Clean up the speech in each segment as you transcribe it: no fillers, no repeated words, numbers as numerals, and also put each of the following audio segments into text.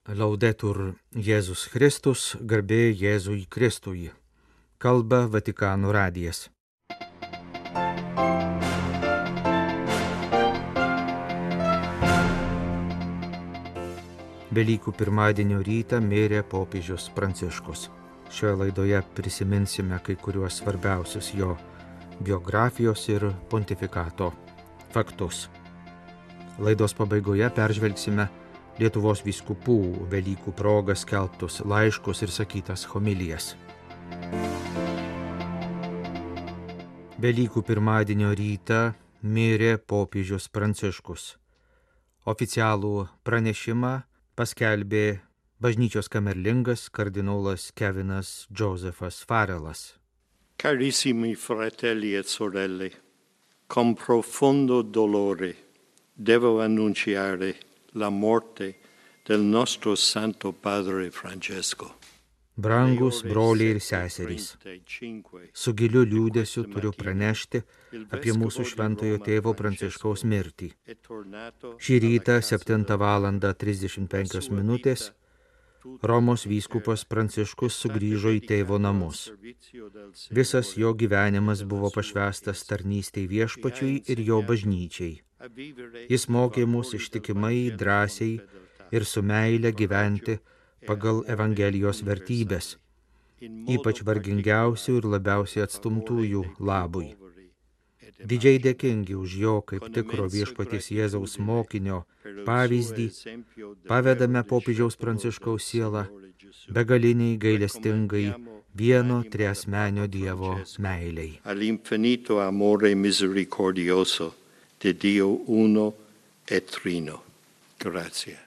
Laudetur Jėzus Kristus, garbė Jėzui Kristui. Kalba Vatikano radijas. Velykų pirmadienio rytą mirė popiežius Pranciškus. Šioje laidoje prisiminsime kai kuriuos svarbiausius jo biografijos ir pontifikato faktus. Laidos pabaigoje peržvelgsime Lietuvos vyskupų Velykų proga skelbtus laiškus ir sakytas homilijas. Velykų pirmadienio rytą mirė popiežius Pranciškus. Oficialų pranešimą paskelbė bažnyčios kamerlingas kardinolas Kevinas Josephas Farelas. Carissimi fratelli e sorelle, con profondo dolore devo annunciare la morte del nostro Santo Padre Francesco. Brangus broliai ir seserys, su giliu liūdesiu turiu pranešti apie mūsų šventojo tėvo Pranciškaus mirtį. Šį rytą 7:35 minutės Romos vyskupas Pranciškus sugrįžo į tėvo namus. Visas jo gyvenimas buvo pašvęstas tarnystei viešpačiui ir jo bažnyčiai. Jis mokė mus ištikimai, drąsiai ir su meile gyventi pagal Evangelijos vertybės, ypač vargingiausių ir labiausiai atstumtųjų labui. Didžiai dėkingi už jo kaip tikro viešpaties Jėzaus mokinio pavyzdį, pavedame popiežiaus Pranciškaus sielą begaliniai gailestingai vieno triasmenio Dievo meilei. All'infinito amore misericordioso de Dio uno e trino. Grazie.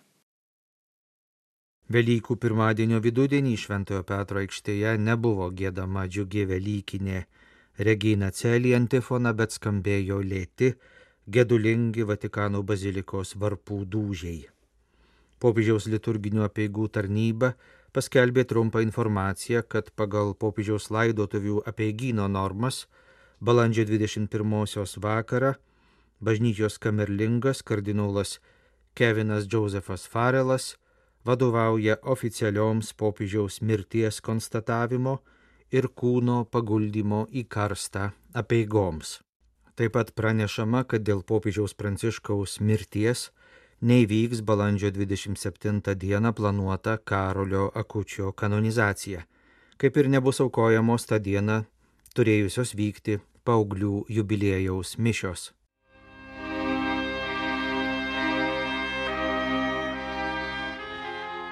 Velykų pirmadienio vidudienį Šventojo Petro aikštėje nebuvo giedama džiugi velykinė Regina Coeli antifona, bet skambėjo lėti, gedulingi Vatikano bazilikos varpų dūžiai. Popiežiaus liturginių apeigų tarnyba paskelbė trumpą informaciją, kad pagal popiežiaus laidotuvių apeigyno normas balandžio 21 vakarą bažnyčios kamerlingas kardinolas Kevinas Josephas Farelas vadovauja oficialioms popiežiaus mirties konstatavimo ir kūno paguldymo į karstą apeigoms. Taip pat pranešama, kad dėl popiežiaus Pranciškaus mirties neįvyks balandžio 27 dieną planuota Karolio Akučio kanonizacija, kaip ir nebus aukojamos tą dieną turėjusios vykti paauglių jubiliejaus mišios.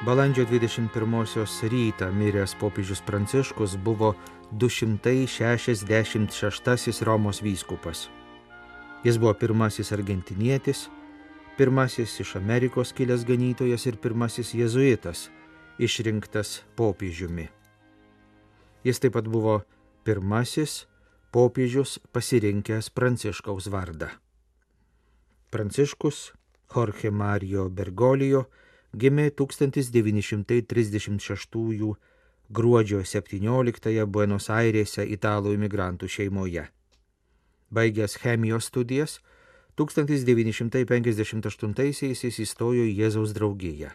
Balandžio 21 rytą miręs popiežius Pranciškus buvo 266 Romos vyskupas. Jis buvo pirmasis argentinietis, pirmasis iš Amerikos kilęs ganytojas ir pirmasis jėzuitas, išrinktas popiežiumi. Jis taip pat buvo pirmasis popiežius pasirinkęs Pranciškaus vardą. Pranciškus Jorge Mario Bergoglio gimė 1936 gruodžio 17 Buenos Airėse italų imigrantų šeimoje. Baigęs chemijos studijas, 1958 jis įstojo į Jėzaus draugiją.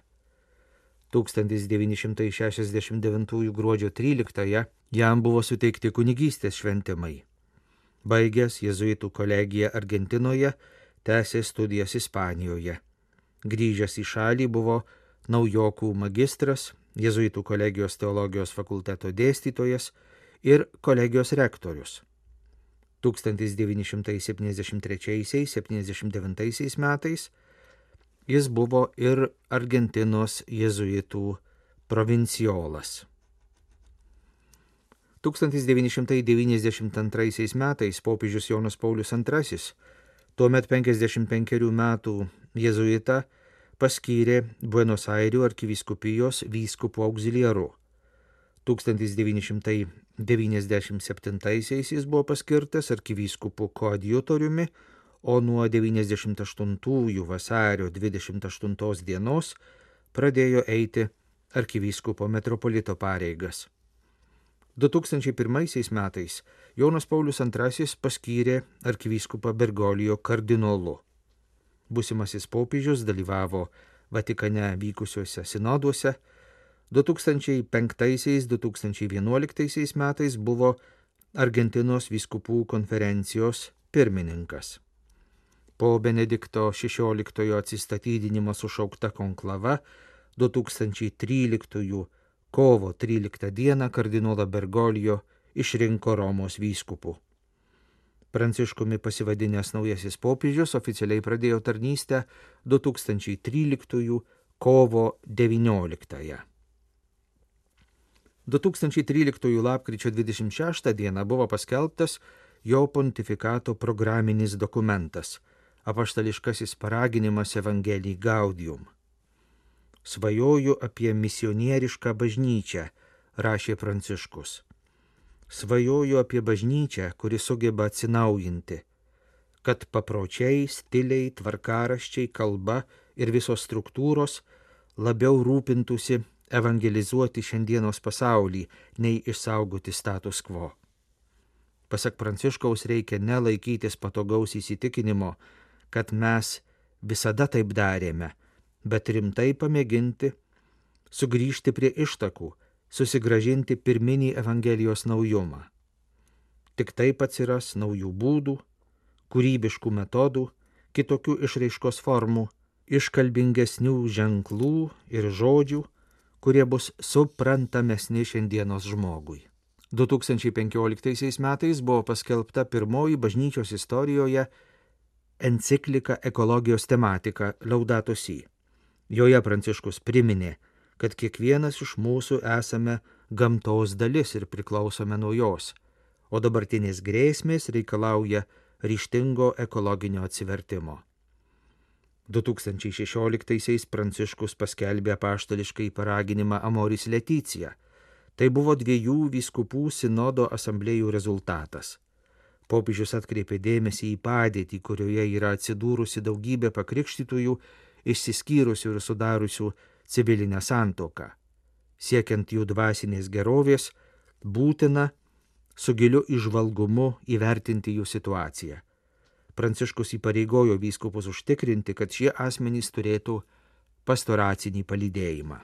1969 gruodžio 13 jam buvo suteikti kunigystės šventimai. Baigęs jėzuitų kolegiją Argentinoje, tęsė studijas Ispanijoje. Grįžęs į šalį buvo naujokų magistras, jėzuitų kolegijos teologijos fakulteto dėstytojas ir kolegijos rektorius. 1973–79 metais jis buvo ir Argentinos jėzuitų provinciolas. 1992 metais popiežius Jonas Paulius II, tuomet 55 metų jėzuitą, paskyrė Buenos Airių arkivyskupijos vyskupu auxiliaru. 1997 jis buvo paskirtas arkivyskupu koadjutoriumi, o nuo 98 vasario 28 dienos pradėjo eiti arkivyskupo metropolito pareigas. 2001 metais Jonas Paulius II paskyrė arkivyskupą Bergoglio kardinolu. Būsimasis popiežius dalyvavo Vatikane vykusiuose sinoduose 2005–2011 metais buvo Argentinos vyskupų konferencijos pirmininkas. Po Benedikto XVI atsistatydinimo sušaukta konklava 2013 kovo 13 dieną kardinolą Bergoglio išrinko Romos vyskupų. Pranciškumi pasivadinęs naujasis popiežius oficialiai pradėjo tarnystę 2013 kovo 19. 2013 lapkričio 26 dieną buvo paskelbtas jo pontifikato programinis dokumentas – apaštališkasis paraginimas Evangelii Gaudium. Svajoju apie misionierišką bažnyčią, rašė Pranciškus. Svajoju apie bažnyčią, kuri sugeba atsinaujinti, kad papročiai, stiliai, tvarkaraščiai, kalba ir visos struktūros labiau rūpintųsi evangelizuoti šiandienos pasaulį, nei išsaugoti status quo. Pasak Pranciškaus reikia nelaikytis patogaus įsitikinimo, kad mes visada taip darėme, bet rimtai pamėginti sugrįžti prie ištakų, susigrąžinti pirminį Evangelijos naujumą. Tik taip atsiras naujų būdų, kūrybiškų metodų, kitokių išraiškos formų, iškalbingesnių ženklų ir žodžių, kurie bus suprantamesni šiandienos žmogui. 2015 metais buvo paskelbta pirmoji bažnyčios istorijoje enciklika ekologijos tematika Laudato Si. Joje Pranciškus priminė, kad kiekvienas iš mūsų esame gamtos dalis ir priklausome nuo jos, o dabartinės grėsmės reikalauja ryžtingo ekologinio atsivertimo. 2016 Pranciškus paskelbė apaštališkai paraginimą Amoris Laetitia. Tai buvo 2 vyskupų sinodo asamblėjų rezultatas. Popiežius atkreipė dėmesį į padėtį, kurioje yra atsidūrusi daugybė pakrikštytųjų, išsiskyrusių ir sudariusių civilinę santuoką. Siekiant jų dvasinės gerovės, būtina su giliu įžvalgumu įvertinti jų situaciją. Pranciškus įpareigojo vyskupus užtikrinti, kad šie asmenys turėtų pastoracinį palydėjimą.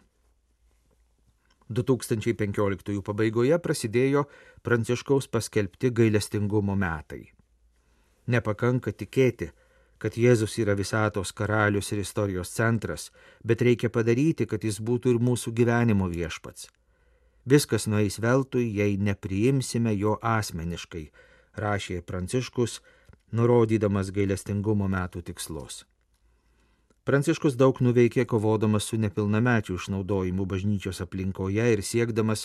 2015 pabaigoje prasidėjo Pranciškaus paskelbti gailestingumo metai. Nepakanka tikėti, kad Jėzus yra visatos karalius ir istorijos centras, bet reikia padaryti, kad jis būtų ir mūsų gyvenimo viešpats. Viskas nueis veltui, jei nepriimsime jo asmeniškai, rašė Pranciškus, nurodydamas gailestingumo metų tikslus. Pranciškus daug nuveikė kovodamas su nepilnamečių išnaudojimu bažnyčios aplinkoje ir siekdamas,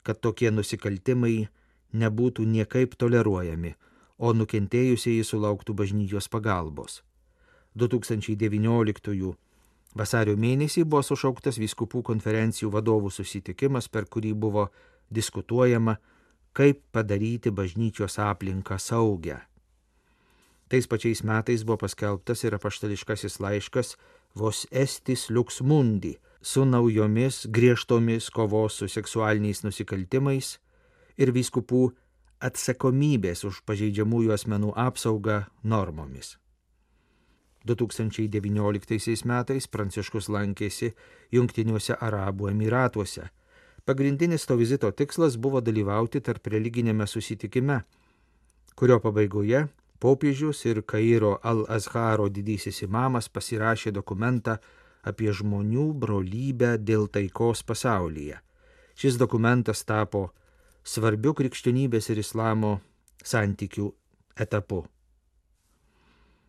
kad tokie nusikaltimai nebūtų niekaip toleruojami, o nukentėjusieji sulauktų bažnyčios pagalbos. 2019 vasario mėnesį buvo sušauktas vyskupų konferencijų vadovų susitikimas, per kurį buvo diskutuojama, kaip padaryti bažnyčios aplinką saugią. Tais pačiais metais buvo paskelbtas ir apaštališkasis laiškas Vos Estis Lux Mundi su naujomis griežtomis kovos su seksualiniais nusikaltimais ir vyskupų atsakomybės už pažeidžiamųjų asmenų apsaugą normomis. 2019 metais Pranciškus lankėsi Jungtiniuose Arabų Emyratuose. Pagrindinis to vizito tikslas buvo dalyvauti tarp religinėme susitikime, kurio pabaigoje popiežius ir Kairo Al-Azharo didysis imamas pasirašė dokumentą apie žmonių brolybę dėl taikos pasaulyje. Šis dokumentas tapo svarbiu krikščionybės ir islamo santykių etapu.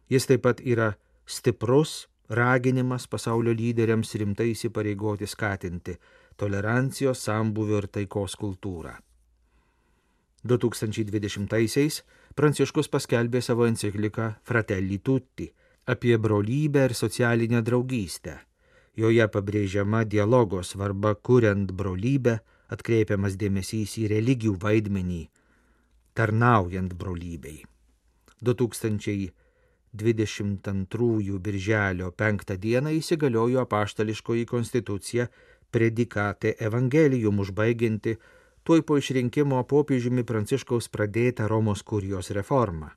Jis taip pat yra stiprus raginimas pasaulio lyderiams rimtai įsipareigoti skatinti tolerancijos, sambūvio ir taikos kultūrą. 2020-aisiais Pranciškus paskelbė savo encikliką Fratelli Tutti apie brolybę ir socialinę draugystę. Joje pabrėžiama dialogo svarba kuriant brolybę, atkreipiamas dėmesys į religijų vaidmenį, tarnaujant brolybei. 2022 birželio 5 dieną įsigaliojo apaštališkoji konstitucija Predicate Evangelium, užbaigianti tuoj po išrinkimo popiežiumi Pranciškaus pradėtą Romos kurijos reformą.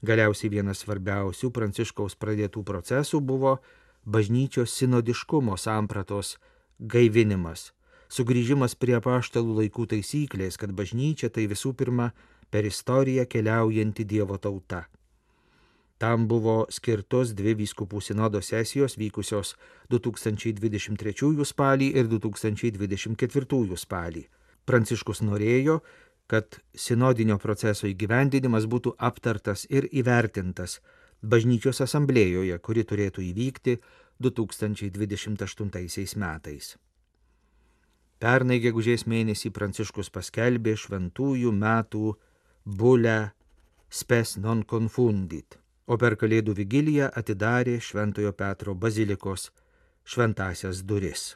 Galiausiai vienas svarbiausių Pranciškaus pradėtų procesų buvo bažnyčios sinodiškumo sampratos gaivinimas, sugrįžimas prie apaštalų laikų taisyklės, kad bažnyčia tai visų pirma per istoriją keliaujanti Dievo tauta. Tam buvo skirtos 2 vyskupų sinodo sesijos vykusios 2023 spalį ir 2024 spalį. Pranciškus norėjo, kad sinodinio proceso įgyvendinimas būtų aptartas ir įvertintas bažnyčios asamblėjoje, kuri turėtų įvykti 2028 metais. Pernai gegužės mėnesį Pranciškus paskelbė šventųjų metų bulę Spes non confundit, o per Kalėdų vigiliją atidarė Šventojo Petro bazilikos šventąsias duris.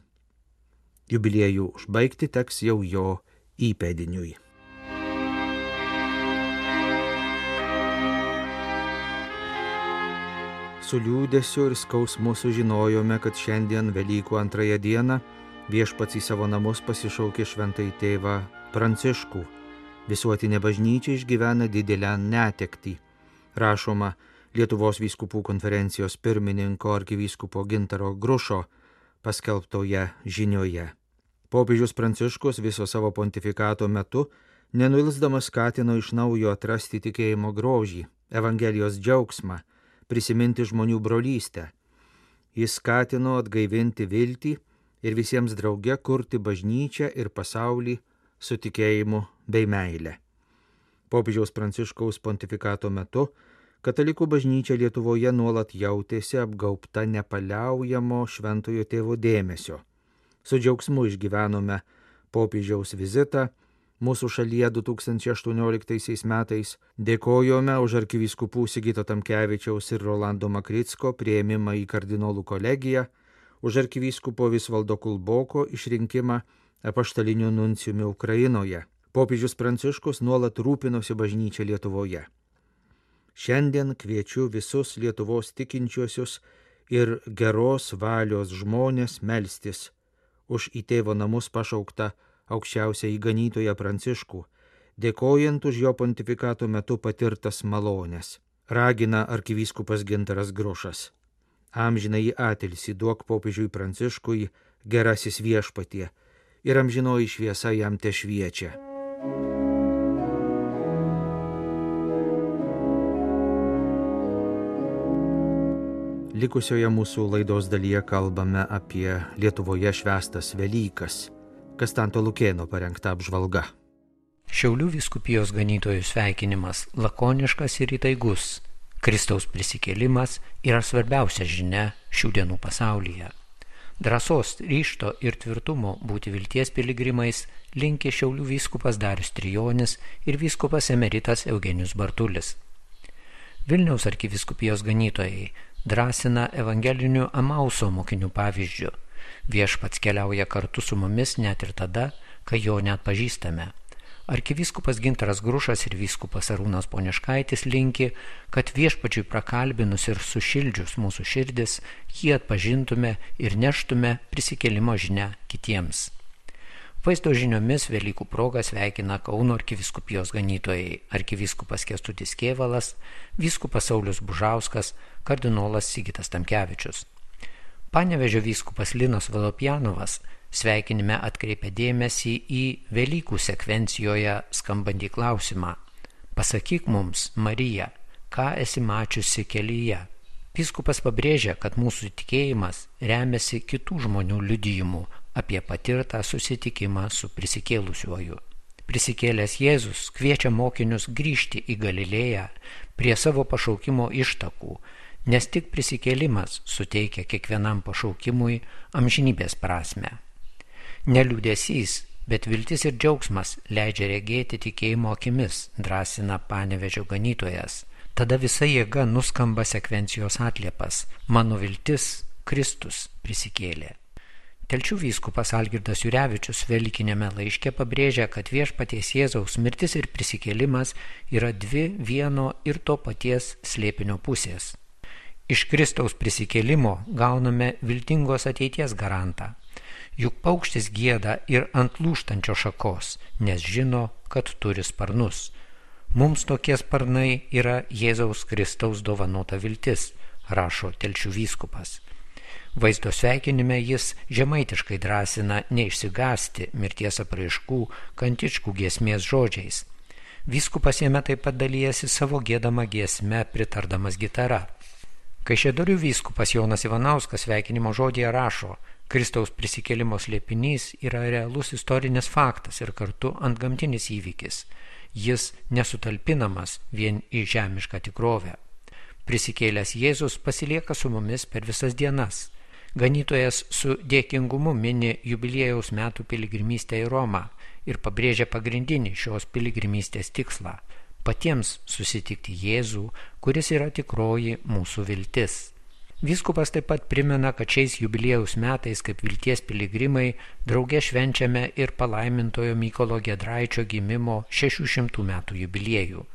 Jubiliejų užbaigti teks jau jo įpėdiniui. Su liūdesiu ir skausmu sužinojome, kad šiandien Velykų antrąją dieną Viešpats į savo namus pasišaukė šventąjį tėvą Pranciškų. Visuotinė bažnyčia išgyvena didelę netektį. Rašoma Lietuvos vyskupų konferencijos pirmininko arkivyskupo Gintaro Grušo paskelbtoje žinioje. Popiežius Pranciškus viso savo pontifikato metu nenuilsdamas skatino iš naujo atrasti tikėjimo grožį, Evangelijos džiaugsmą, prisiminti žmonių brolystę. Jis skatino atgaivinti viltį ir visiems drauge kurti bažnyčią ir pasaulį su tikėjimu bei meile. Popiežiaus Pranciškaus pontifikato metu katalikų bažnyčia Lietuvoje nuolat jautėsi apgaubta nepaliaujamo šventojo tėvo dėmesio. Su džiaugsmu išgyvenome popiežiaus vizitą mūsų šalyje 2018 metais, dėkojome už arkivyskupų Sigito Tamkevičiaus ir Rolando Makricko priėmimą į kardinolų kolegiją, už arkivyskupo Visvaldo Kulboko išrinkimą apaštaliniu nuncijumi Ukrainoje. Popiežius Pranciškus nuolat rūpinosi bažnyčia Lietuvoje. Šiandien kviečiu visus Lietuvos tikinčiuosius ir geros valios žmonės melstis už į tėvo namus pašauktą aukščiausią įganytoją Pranciškų, dėkojant už jo pontifikato metu patirtas malones. Ragina arkivyskupas Gintaras Grušas. Amžinąjį atilsį duok popiežiui Pranciškui, gerasis Viešpatie, ir amžinoji šviesa jam tešviečia. Likusioje mūsų laidos dalyje kalbame apie Lietuvoje švęstas Velykas. Kastanto Lukėno parengta apžvalga. Šiaulių vyskupijos ganytojų sveikinimas lakoniškas ir įtaigus. Kristaus prisikėlimas yra svarbiausia žinia šių dienų pasaulyje. Drąsos, ryžto ir tvirtumo būti vilties piligrimais linki Šiaulių vyskupas Darius Trijonis ir vyskupas emeritas Eugenijus Bartulis. Vilniaus arkivyskupijos ganytojai drąsina evangelinių Emauso mokinių pavyzdžiu. Viešpats keliauja kartu su mumis net ir tada, kai jo neatpažįstame. Arkivyskupas Gintaras Grušas ir vyskupas Arūnas Poniškaitis linki, kad viešpačiui prakalbinus ir sušildžius mūsų širdis, jį atpažintume ir neštume prisikėlimo žinią kitiems. Vaizdo žiniomis Velykų proga sveikina Kauno arkivyskupijos ganytojai arkivyskupas Kęstutis Kėvalas, vyskupas Saulius Bužauskas, kardinolas Sigitas Tamkevičius. Panevėžio vyskupas Linas Valopjanovas sveikinime atkreipia dėmesį į Velykų sekvencijoje skambantį klausimą: pasakyk mums, Marija, ką esi mačiusi kelyje? Vyskupas pabrėžia, kad mūsų tikėjimas remiasi kitų žmonių liudijimu apie patirtą susitikimą su prisikėlusiuoju. Prisikėlęs Jėzus kviečia mokinius grįžti į Galilėją prie savo pašaukimo ištakų, nes tik prisikėlimas suteikia kiekvienam pašaukimui amžinybės prasmę. Ne liūdesys, bet viltis ir džiaugsmas leidžia regėti tikėjimo akimis, drąsina Panevėžio ganytojas. Tada visa jėga nuskamba sekvencijos atliepas: mano viltis, Kristus prisikėlė. Telšių vyskupas Algirdas Jurevičius Velykinėme laiške pabrėžia, kad viešpaties Jėzaus mirtis ir prisikėlimas yra dvi vieno ir to paties slėpinio pusės. Iš Kristaus prisikėlimo gauname viltingos ateities garantą. Juk paukštis gieda ir ant lūžtančio šakos, nes žino, kad turi sparnus. Mums tokie sparnai yra Jėzaus Kristaus dovanota viltis, rašo Telšių vyskupas. Vaizdo sveikinime jis žemaitiškai drąsina neišsigąsti mirties apraiškų kantičkų giesmės žodžiais. Vyskupas jame taip pat dalyjasi savo giedamą giesmę pritardamas gitara. Kaišiadorių vyskupas Jonas Ivanauskas sveikinimo žodyje rašo: Kristaus prisikėlimo slėpinys yra realus istorinis faktas ir kartu antgamtinis įvykis. Jis nesutalpinamas vien į žemišką tikrovę. Prisikėlęs Jėzus pasilieka su mumis per visas dienas. Ganytojas su dėkingumu mini jubiliejaus metų piligrimystę į Romą ir pabrėžia pagrindinį šios piligrimystės tikslą – patiems susitikti Jėzų, kuris yra tikroji mūsų viltis. Vyskupas taip pat primena, kad šiais jubiliejaus metais kaip vilties piligrimai drauge švenčiame ir palaimintojo Mykolo Giedraičio gimimo 600 metų jubiliejų.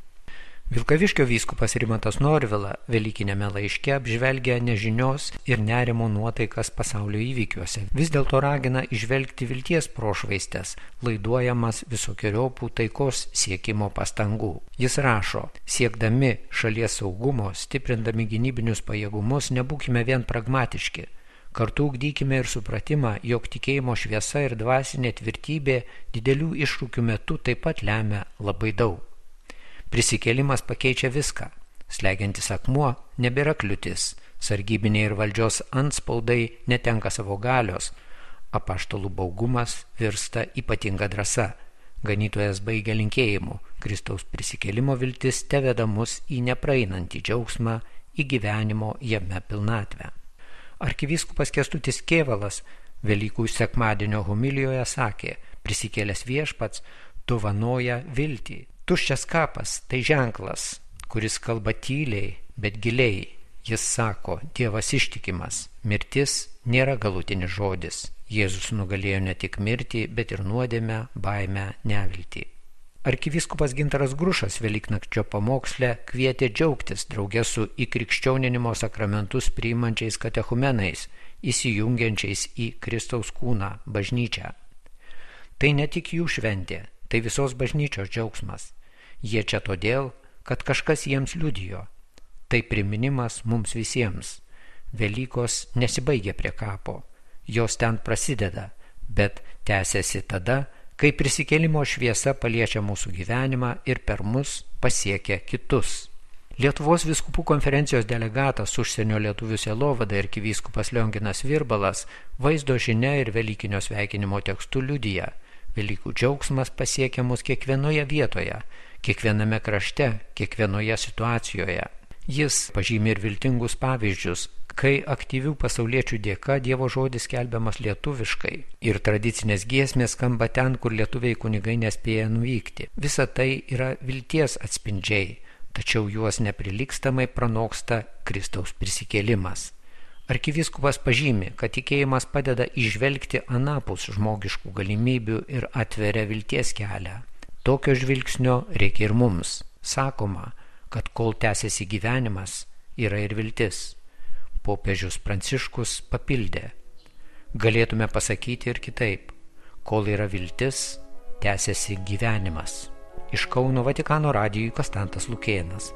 Vilkaviškio vyskupas Rimantas Norvila Velykinėme laiške apžvelgia nežinios ir nerimo nuotaikas pasaulio įvykiuose. Vis dėlto ragina įžvelgti vilties prošvaistes, laiduojamas visokiojopų taikos siekimo pastangų. Jis rašo: siekdami šalies saugumo, stiprindami gynybinius pajėgumus, nebūkime vien pragmatiški. Kartu ugdykime ir supratimą, jog tikėjimo šviesa ir dvasinė tvirtybė didelių iššūkių metu taip pat lemia labai daug. Prisikėlimas pakeičia viską. Slegiantis akmuo nebėra kliūtis, sargybiniai ir valdžios antspaudai netenka savo galios, apaštalų baugumas virsta ypatinga drąsa. Ganytojas baigia linkėjimu: Kristaus prisikėlimo viltis teveda mus į nepraeinantį džiaugsmą, į gyvenimo jame pilnatvę. Arkivyskupas Kęstutis Kėvalas Velykų sekmadienio homilijoje sakė: prisikėlęs viešpats dovanoja viltį. Tuščias kapas tai ženklas, kuris kalba tyliai, bet giliai. Jis sako: Dievas ištikimas, mirtis nėra galutinis žodis. Jėzus nugalėjo ne tik mirtį, bet ir nuodėmę, baimę, neviltį. Arkivyskupas Gintaras Grušas Velyknakčio pamoksle kvietė džiaugtis drauge su įkrikščioninimo sakramentus priimančiais katechumenais, įsijungiančiais į Kristaus kūną, bažnyčią. Tai ne tik jų šventė, tai visos bažnyčios džiaugsmas. Jie čia todėl, kad kažkas jiems liudijo. Tai priminimas mums visiems. Velykos nesibaigia prie kapo. Jos ten prasideda, bet tęsiasi tada, kai prisikėlimo šviesa paliečia mūsų gyvenimą ir per mus pasiekia kitus. Lietuvos vyskupų konferencijos delegatas užsienio lietuvių sielovadai arkivyskupas Lionginas Virbalas vaizdo žinia ir velykinio sveikinimo tekstu liudija: Velykų džiaugsmas pasiekia mus kiekvienoje vietoje, kiekviename krašte, kiekvienoje situacijoje. Jis pažymi ir viltingus pavyzdžius, kai aktyvių pasauliečių dėka Dievo žodis skelbiamas lietuviškai ir tradicinės giesmės skamba ten, kur lietuviai kunigai nespėja nuvykti. Visa tai yra vilties atspindžiai, tačiau juos neprilygstamai pranoksta Kristaus prisikėlimas. Arkivyskupas pažymi, kad tikėjimas padeda įžvelgti anapus žmogiškų galimybių ir atveria vilties kelią. Tokio žvilgsnio reikia ir mums. Sakoma, kad kol tęsiasi gyvenimas, yra ir viltis. Popiežius Pranciškus papildė: galėtume pasakyti ir kitaip: kol yra viltis, tęsiasi gyvenimas. Iš Kauno Vatikano radijui Konstantas Lukėnas.